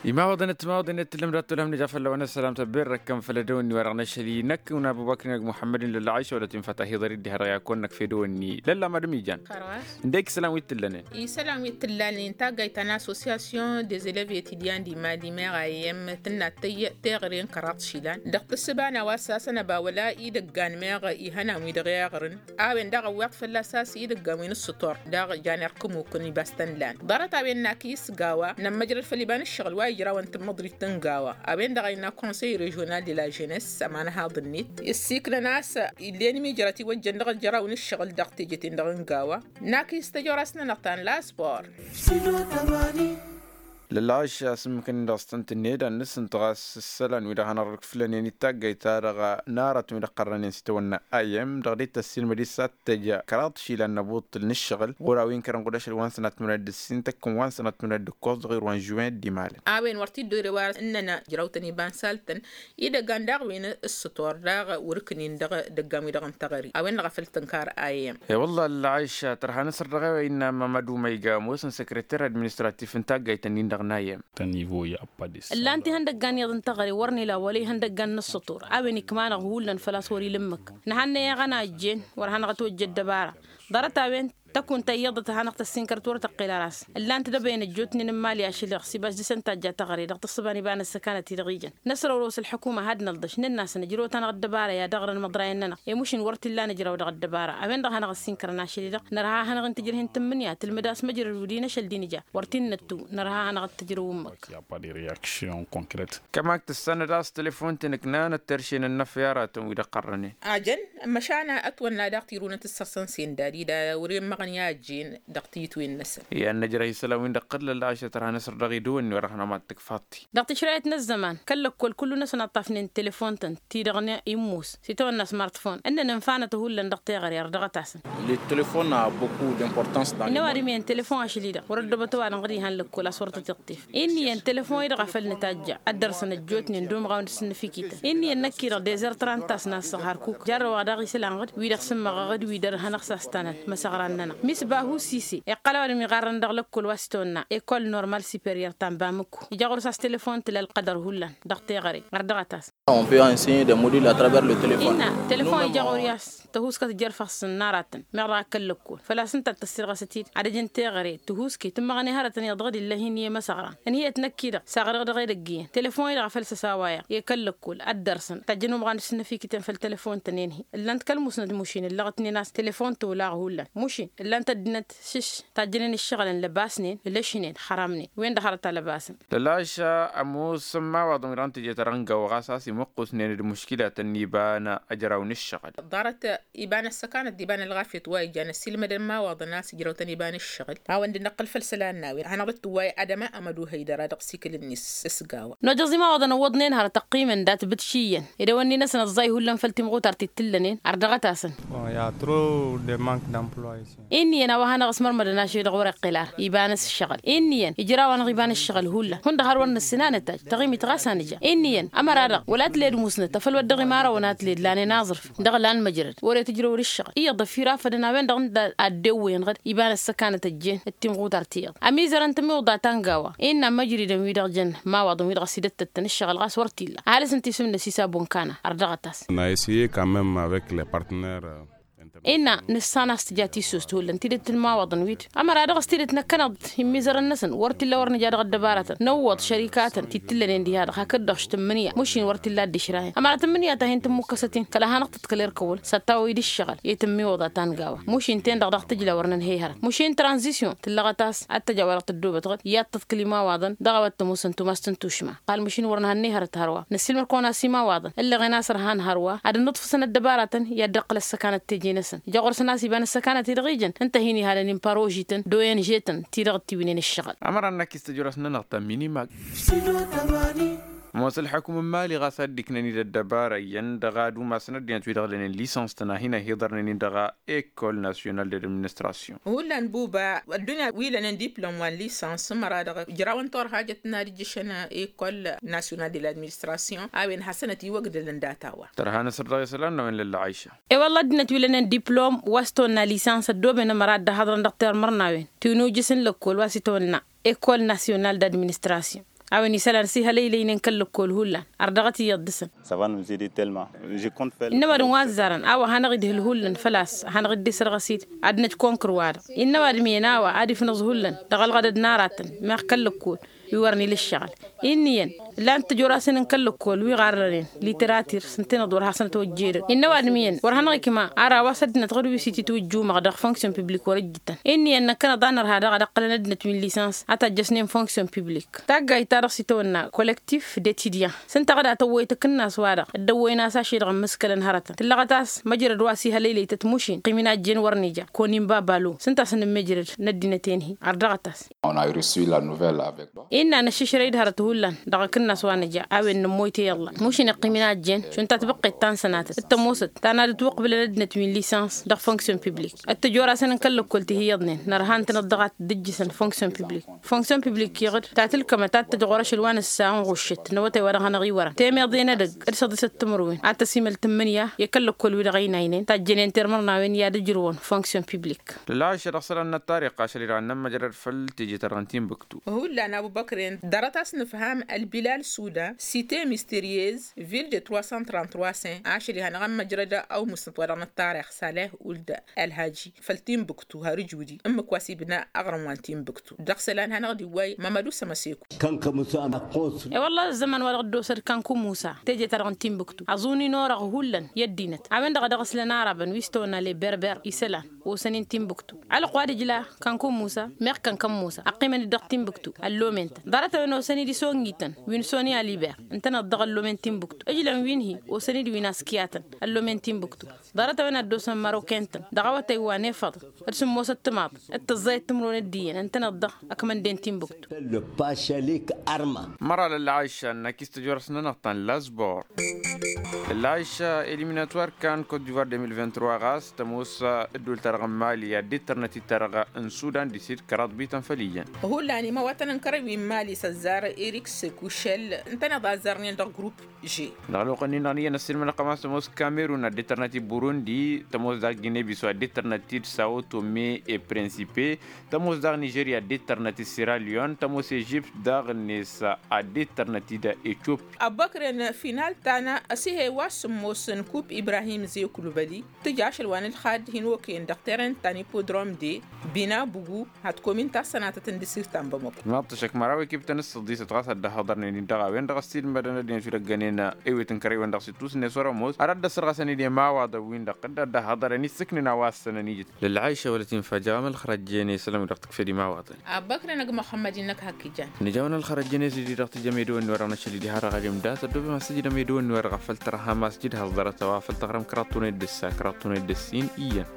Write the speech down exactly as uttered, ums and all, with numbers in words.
Imawăḍăn ătmawăḍăn i-ad-tǝllăm dat-tolhăm nǝja fălla-wen ăssălam tăbberrăkkăn făll-edăwănni wa dăɣ-năšăl-i năkk n-abubăkr n-ag muḥămmăd n-lălla ašăwălăt infa tahiḍăr-i dd-ihăḍăɣ i-ad-kăwăn-năkf edăwănni lălla madăm ijan. Ǝndek isălan wi t-tǝllănen. Isălan wi t-tǝllănen taggayt ta n-association des eleves etidyan di mali meɣ a i-m tǝnna teɣăre n-kăraḍ išilan dăɣ-tǝssǝba n-a-wa s-asăn ăba wăla idăggan meɣ ihănan wi dăɣ-iɣrǝn. A-wen daɣ ăwweḍ fălla-s a-s idăggan wi n-ǝssǝtor daɣ jan irkǝmukăn ibas tăn-lan ḍarăt a-wen n-akǝy s-gawa nămmăjrăd făll-iba n-ǝššăɣǝl wa ijrawăn tǝmmăḍrit n-gawa a-wen-dăɣ a innă konsăy režional de la ženess ămanhaḍ-net ǝssiknăn a-s. Illen imijrăt iwăjjăn dăɣ-ăjraw n-ǝššăɣǝl dăɣ-teje-ten-dăɣ n-gawa n-akǝy s-tăjorăs-nănăɣ ta n-laspor. Lălɣăš asǝmmǝk-nin dăɣ-s tăn-tǝnned ad-nǝsǝnt ɣas ǝssălan wi-dăɣ hanăɣ-dd-ǝkfǝlănen i-taggayt-ta-dăɣ n-arătăn wi-dăɣ qărrănen s-itawănna. Ayem dăɣ-dd-tăssilmăd-i s-ad-tăj kăraḍ išilan n-abuṭṭǝl n-ǝššăɣǝl ɣur-a-wen kărăn ɣud ašăl wa n-sănat timǝnad d-ǝssin tăkkǝn wa n-sănat timǝnad d-ǝkkoẓ dăɣ-irwan žuwen d-imalăn. A-wen wăr t-dd-ore wa ǝnnăn ǝjraw-tăn iba n-saltăn idăggan daɣ wi n-ǝssǝtor daɣ wăr-ǝknin dăɣ-idăggan wi-dăɣ n-teɣăre a-wen-dăɣ a făl tǝnkar. Ayem. E-wălla ălɣăyša tărha n-asăr dăɣ-e-wa innă mamădu ma iga ămoosăn săkrăter administratif n-taggayt-nin-dăɣ n-ayem. Ǝllan-t ihăndăggan iyyăḍ n-teɣăre wăr n-ila wăla ihăndăggan n-ǝssǝṭur a-wen ikmanăɣ hullan făl-a-s wăr-ila ǝmmǝk. Nǝhannăy eɣăna ăjjeen wăr hanăɣ-ătwăjja ăddăbara ḍarăt a-wen. Tăkunt ta iyyăḍăt hanăɣ-tăssinkărăt wăr tăqqel ara-s ǝllan-t dăbăyăn ăjjootnen n-imali ašăl-i dăɣ-s ibas dăr-săn tajja teɣăre dăɣ-tǝssǝba n-iba n-ăssăkanăt-i-dăɣ ijăn. Năsrăwrăw s-ălḥukuma had-nălḍăš nǝnn'-asăn ǝjrăw-tanăɣ ăddăbara i-ad-ăɣrăn imăḍrayăn-nănăɣ i-mušin wăr t-illa n-ǝjraw dăɣ-ăddăbara a-wen-dăɣ hanăɣ-ăssinkărăn ašăl-i-dăɣ. Nărha hanăɣ-in-tǝjrăh-in tǝmmǝnǝya tǝlmǝd a-s măjrăd wi d-inăšăl d-inǝja wăr t-innăttu. Nărha hanăɣ-dd-tǝjrăw ǝmmǝk. Kămak tǝssanăd a-s telefon-tăn ǝknanăt terše n-ănnăf i-aratăn wi-dăɣ qărrănen. Ajăn măšan ătwănna daɣ tirunăt ǝssăr-săn sendad-i da wăr-emmăɣăn i-ajjen. Dăɣ-tiyǝtwen-năsăn. I-ad-năjrăh isălan-win-dăɣ tăllăl ašăt ărha n-asăr dăɣ-idǝwǝnni wăr-ăhnăma d-tǝkfaḍ-ti. Dăɣ-tǝšrayăt n-ăzzăman kăl-lăkkol kullu-năsăn ăṭṭafnen telefon-tăn ti-dăɣ n-immos s-itawănna smart phone ǝnnăn ǝnfanăt hullan dăɣ-teɣăre ărdăɣăt-asăn. Le telefon a beaucoup d'importance. Innă ăwadǝm iyyăn telefon ašăl-i-dăɣ wăr-ăddobăt ăwadǝm ɣǝd ihăn lăkkol a-s wăr tătiḍ. Innă iyyăn telefon-i-dăɣ a făl nǝtajja ad-dăr-săn ăjjootnen d-umɣaw n-asǝnnǝfikităn innă iyyăn năkk-i-dăɣ dezăr trăntas n-asăɣ hărkuk jarrăw-aɣ daɣ isălan ɣǝd wi-dăɣ sǝmmăɣăɣ d-wi dăr-hanăɣ-sastănăn. Măsăɣra-nănăɣ misbahu sise iqqăl a-wa dăɣ-mi ɣarrăn dăɣ-lăkkol wa s-itawănna ekol normal superior ta n-bamǝkku ija ɣur-s a-s telefon tǝla ălqădăr hullan dăɣ-teɣăre. Ărdăɣăt-as. Innă telefon ija ɣur-i a-s tăhuskăt jer-făɣsăn n-aratăn meɣ dăɣ-akăl lăkkol făl-a-s ǝnta ad-tăssirɣăsăt-dd ad-ăj n-teɣăre tăhuske tǝmmăɣăn i-hărătăn iyyăḍ dăɣ-dd-illa hin-iyyăn măsăɣran. Ǝnhǝyăt năkk-i-dăɣ saɣrăɣ dăɣ-edăgg iyyăn telefon-i-dăɣ a făl s-ăsawayăɣ i-kăl-lăkkol ad-dăr-săn tajjăn umɣan d-sǝnnăfikităn făll-telefon-tăn i-ǝnhǝy ǝllan-t kăl-musnăd mušin ǝllăɣătnen a-s telefon tolaɣ hullan mušin ǝllan-t ăddinăt šǝš. Tajjănen ǝššăɣǝlăn lăbasnen ǝlăšnen xărămnen wen-dăɣ hărăt a lăbasăn. Lălaša ămoosăn imawaḍăn wi-dăɣ n-teje-ta-dăɣ n-gawa ɣas a-s imǝqqusnen d-muškilatăn n-iba n-ejăraw n-ǝššăɣǝl. Ḍarăt iba n-ăssăkanăt d-iba n-ălɣafyăt wa ijan ăssiilmădăn imawaḍăn a-s ǝjrăwtăn iba n-ǝššăɣǝl. A-wen dd-năqqǝl făll-isălan n-a-wen hanăɣ-dd-tǝwway adăma amăduhăy dăra dăɣ-sikǝl-net s-gawa. Nojăẓ imawaḍăn ăwwăḍnen hărăt ăqqimăn dat-bǝtšiyăn ed ăwănni-năsăn ăẓẓay hullan făll-timɣutart t-tǝllănen ardăɣăt-asăn. Bon i-a trop de manque d'emploi ici. Inn'-iyyăn a-wa hanăɣ-ăsmărmădăn ašăl-i-dăɣ wăr-iqqǝl ar iba n-ǝššăɣǝl inn'-iyyăn ijrawăn-dăɣ iba n-ǝššăɣǝl hullan hundăɣ har wăr nǝssin a nǝtajj taɣimit ɣas a nǝja. Inn'-iyyăn ămăra-dăɣ wăla tǝled musnăt afăl wăr dăɣ-imărawăn a tǝled lanen aẓrǝf dăɣ-lan măjrăd wăr-e tǝjrăw d-ǝššăɣǝl iyyăḍ ăfirafădăn a-wen-dăɣ n-da ad-dd-ewwăyăn-dăɣ iba n-ăssăkanăt ăjjeen d-timɣutart iyyăḍ. Ămizărăn tămiwḍa ta n-gawa innă ămmăjridăn wi-dăɣ jăn imawaḍăn wi-dăɣ ăsidăttăttăn ǝššăɣǝl ɣas wăr t-illa ăhalǝs ǝnta isǝm-năs isa bunkana. Ărdăɣăt-as. N-a essayer quand même avec les partenaires. Innă nǝssan a-s tǝja tissost hullan tidǝt n-imawaḍăn-wi-dd ămăra dăɣ-s tidǝt năkkăneḍ-dd immizărăn-năsăn wăr t-illa wăr nǝja dăɣ-ăddăbarătăn nǝwwăḍ šărikatăn ti t-ǝllănen diha-dăɣ hakd-dăɣ š-tǝmmǝnǝya mušin wăr t-illa a dd-išrayăn ămăra tǝmmǝnǝya ta hin-tǝmmukkăsăt-in kăla hanăɣ-tăḍkăl erk ăwwăl s-ad-tawăy d-ǝššăɣǝl i-tǝmmiwăḍa ta n-gawa mušin-ten-dăɣ dăɣ-tǝjla wăr nǝnhăy hărăt mušin tranzisyon tǝllăɣăt a-s ad-tăj a-wa dăɣ-tăddoobăt ɣǝd i-ad-tăḍkǝl imawaḍăn dăɣ-a-wa t-ămoosăn tumas t-intušma. Qal măšin wăr nǝhănney hărăt hărwa nǝssilmăd-kăwăn-as imawaḍăn ǝllăɣen a-s ărhan hărwa ad-ănnuḍfǝsăn ăddăbaratăn i-ad-dd-ăqqǝl ăssăkanăt teje-năsăn. Ija ɣur-săn a-s iba n-ăssăkanăt-i-dăɣ ijăn ǝnta a hin-ihalăn n-parozităn d-oyăn žetăn ti-dăɣ dd-tiwǝynen ǝššăɣǝl. Ămăra n-akis tăjrăwăs-nănăɣ ta n-minimag. Ămoos ălḥukǝm n-imali ɣas ad-dd-iknăn-dd ăddăbara iyyăn dăɣ-ad-umasăn ăddinăt wi-dăɣ lănen lisăns-tăn a hin-ăhiḍărnen-in dăɣ-ekol nasyonal d-administrasyon. Hullan buba ăddunya wi lănen diplom wa n-lisăns ămăra-dăɣ ǝjrawăn turhajăt n-ad-ǝjjǝšăn ekol nasyonal d-administrasyon a-wen hasăn-ătiwăgdălăn data-wa. Tărha n-asăr dăɣ-isălan n-a-wen lălla ɣayša. E-wălla ăddinăt wi lănen diplom wa s-tăwănna lisăns ăddooben ămăra dd-ăhaḍrăn dăɣ-termăr n-a-wen tiwǝnujǝs n-lăkkol wa s-itawănna ekol nasyonal d-administrasyon. A-wen isălan s-ihălăylăynen kăl-lăkkol hullan. Ărdăɣăt iyyăḍ dăɣ-săn. Innă ăwadǝm wa ăzzarăn a-wa hanăɣ-idhǝl hullan făl-a-s hanăɣ-dd-isărɣăs-dd. Ad-năj konkăr-wa-dăɣ innă ăwadǝm iyyăn a-wa ad-ifnǝẓ hullan dăɣ-ălɣădăd n-aratăn meɣ kăl-lăkkol wi wărăn ila ǝššăɣǝl. Inn'-iyyăn ǝllan-t tijorasăn n-kăl-lăkkol wi ɣarrănen literati-dăɣ s-ǝntăneḍ wăr hasăn-ătwăjjedăd. Innă ăwadǝm iyyăn wăr hanăɣ-ikma ar a-wa s-ăddinăt ɣur-wi s-ititwǝjjumăɣ dăɣ-fonksyon piblik wăr-ǝjjǝtăn. Inn'-iyyăn năkkăneḍ a nărha daɣ ad-ăqqălăn ăddinăt wi n-lisăns a tajjăsnen fonksyon piblik. Taggayt-ta-dăɣ s-itawănna kolektif d-etidyan s-ǝnta a ɣǝd-atăwwăy takǝnnas-wa-dăɣ dd-ăwwăyăn a-s ašăl-i-dăɣ ǝmmǝskălăn hărătăn tǝllăɣăt a-s măjrăd wa s-ihălăylăy tătmušin ăqqim-in a ăjjeen wăr nǝja. Kăwăn-in baba lom s-ǝnta a-s nǝmmejrăd n-ăddinăt-en-hi. Ărdăɣăt-as. On a resu la nuvella avec. Innă năššǝšrăy-dd hărăt hullan dăɣ-akǝnnas wa nǝja a-wen nǝmmoyte i-ălla tătmušin ăqqim-in a ăjjeen šund tatbǝqqet ta n-sănatăt d-tămoosăt ta n-ad-ǝtwăqbǝlăn ăddinăt wi n-lisăns dăɣ-fonksyon piblik. D-tijorasăn n-kăl-lăkkol ti hi-iyyăḍnen nărha ǝntăneḍ-dăɣ a t-dd-ǝjjǝsăn fonksyon piblik. Fonksyon piblik iɣǝd ta tǝlkămăt ad-t-tăjăɣ ɣur-ašăl wa n-ǝssa ănɣuššăt n-awătay wa dăɣ-hanăɣ-iwărăn temeḍe n-edăgg d-săḍisăt timǝrwen ad-tăsimăl tǝmmǝnǝya i-kăl-lăkkol-wi-dăɣ ăynaynen tajjănen tirmărnawen i-ad-ǝjrǝwăn fonksyon piblik. Lălɣayša dăɣ-isălan n-ăttarix ašăl-i-dăɣ ad-nămmăjrăd făll-teje-ta-dăɣ n-tinbǝktu. Hullan abu băkren ḍarăt-as nǝfham ălbilal suda site misteryez ville de trois cent trente-trois sen ašăl-i hanăɣ-ămmăjrăd awmusnăt wa dăɣ-năttarix saleh uld ălhaji făll-tinbǝktu har ǝjudi ǝmmǝk wa s-ibna aɣrǝm wa n-tinbǝktu. Dăɣ-isălan hanăɣ-dd-iwway mamădu sămăseku. E-wălla ăzzăman wa dăɣ-dd-osăd kanku musa teje-ta-dăɣ n-tinbǝktu ăẓuni n-orăɣ hullan i-ăddinăt a-wen-dăɣ a dăɣ-islăn arabăn wi s-tăwănna leberber isălan osăn-in tinbǝktu. Alăqq wa d-ijla kanku musa meɣ kănkăn musa ăqqimăn-dd dăɣ-tinbǝktu ăllomen-tăn ḍarăt-a-wen osăn-dd isongi-tăn wi n-soni aliber ǝntăneḍ dăɣ-ăllomen tinbǝktu. Ǝjlăn wi n-hi osăn-dd wi n-askiyatăn ăllomen tinbǝktu. Ḍarăt-a-wen ad-dd-osăn măroken-tăn dăɣ-awătay wa n-efăḍ d-sǝmmosăt timaḍ d-tǝẓẓayăt timǝrwen d-iyyăn ǝntăneḍ-dăɣ ăkmănden tinbǝktu. Măra lălɣayša ănnăk i-s tăjorăs-nănăɣ ta n-lazbor. Lălɣayša eliminator kan kot divoir deux mille vingt-trois ɣas tămoos ăddul-ta-dăɣ n-mali ad-dd-tărnăt-dd ta-dăɣ n-sudan disid kăraḍ bităn făll-iyyăn. Hullan imawatăn n-kărăy wi n-mali s-ăzzar erik sekušel ǝntăneḍ a ăzzarnen dăɣ-grup. Dăɣ-ălwăqq-nin-dăɣ n-iyyăn ăssiilmădăɣ kămas tămoos kamerun ad-dd-tărnăt-dd burundi tămoos daɣ gine-biso ad-dd-tărnăt-dd sao tome e-principe tămoos daɣ nižerya ad-dd-tărnăt-dd siralion tămoos ežipt daɣ-net ad-dd-tărnăt-dd etiopi. Ăbbăkren final-ta n-asǝhe wa s-ǝmmos n-kup ibrahim zekulubăli tǝja ašăl wa n-ǝlxad hin-okăyăn dăɣ-teren ta n-ipodrom de bina bugu. Ad-t-komin tassănatăt n-dăsirt ta n-bamăko. Maḍt ăššăk măraw ekiptăn s-săḍisăt ɣas ad-dd-ăhhăḍărnen-in dăɣ-a-wen-dăɣ ăssiilmădăn ăddinăt wi dăgg-ănen ewet n-kărăy-wen-dăɣ s-ittus-net wăr-ămoos ad-dd-ăssărɣăsăn-dd i-imawaḍăn-win-dăɣ dd-ăhhăḍărăn issǝknen a-wa ăssănăn ijǝt. Lălɣayša wălăt-infa jaɣăm ălxărăjjen i-isălan-wi-dăɣ tǝkfed imawaḍăn. Abbăkren ăgg muxămmăd-in-năk hak ijan. Nǝjawăn ălxărăjjen i-s-dd-i-dăɣ tǝjăm edăwănni-wa-dăɣ n-ašăl-i diha-dăɣ ad-imdat ăddoobem ad-sǝjdăm edăwănni-wa-dăɣ a făl tărha ma-s jǝdhăẓ ḍarăt a-wa făl tăɣrăm kăraḍ tunăy d-ǝssa kăraḍ tunăy d-ǝssin iyyăn.